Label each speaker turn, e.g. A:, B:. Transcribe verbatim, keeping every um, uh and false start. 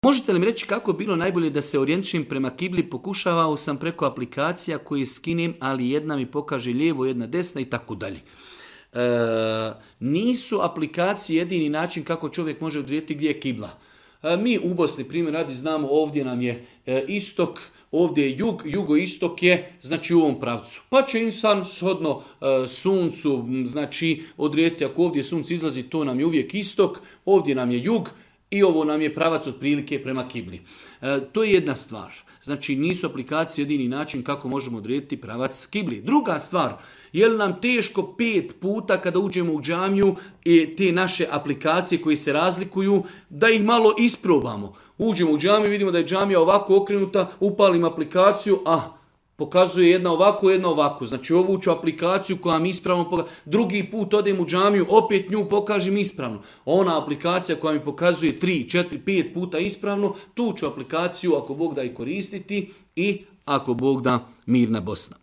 A: Možete li mi reći kako je bilo najbolje da se orijentišem prema kibli? Pokušavao sam preko aplikacija koje skinem, ali jedna mi pokaže lijevo, jedna desna i tako dalje. E, nisu aplikacije jedini način kako čovjek može odrediti gdje je kibla. E, mi u Bosni, primjer radi, znamo ovdje nam je e, istok, ovdje je jug, jugoistok je znači u ovom pravcu. Pa će insan shodno e, suncu, znači odrediti ako ovdje sunce izlazi, to nam je uvijek istok, ovdje nam je jug i ovo nam je pravac otprilike prema kibli. E, to je jedna stvar. Znači nisu aplikacije jedini način kako možemo odrediti pravac kibli. Druga stvar, je li nam teško pet puta kada uđemo u džamiju i te naše aplikacije koje se razlikuju, da ih malo isprobamo. Uđemo u džamiju, vidimo da je džamija ovako okrenuta, upalim aplikaciju, a pokazuje jedna ovako, jedna ovako. Znači ovu ću aplikaciju koja mi ispravno pokazuje. Drugi put odem u džamiju, opet nju pokažem ispravno. Ona aplikacija koja mi pokazuje tri, četiri, pet puta ispravno, tu ću aplikaciju ako Bog da i koristiti i ako Bog da mirna Bosna.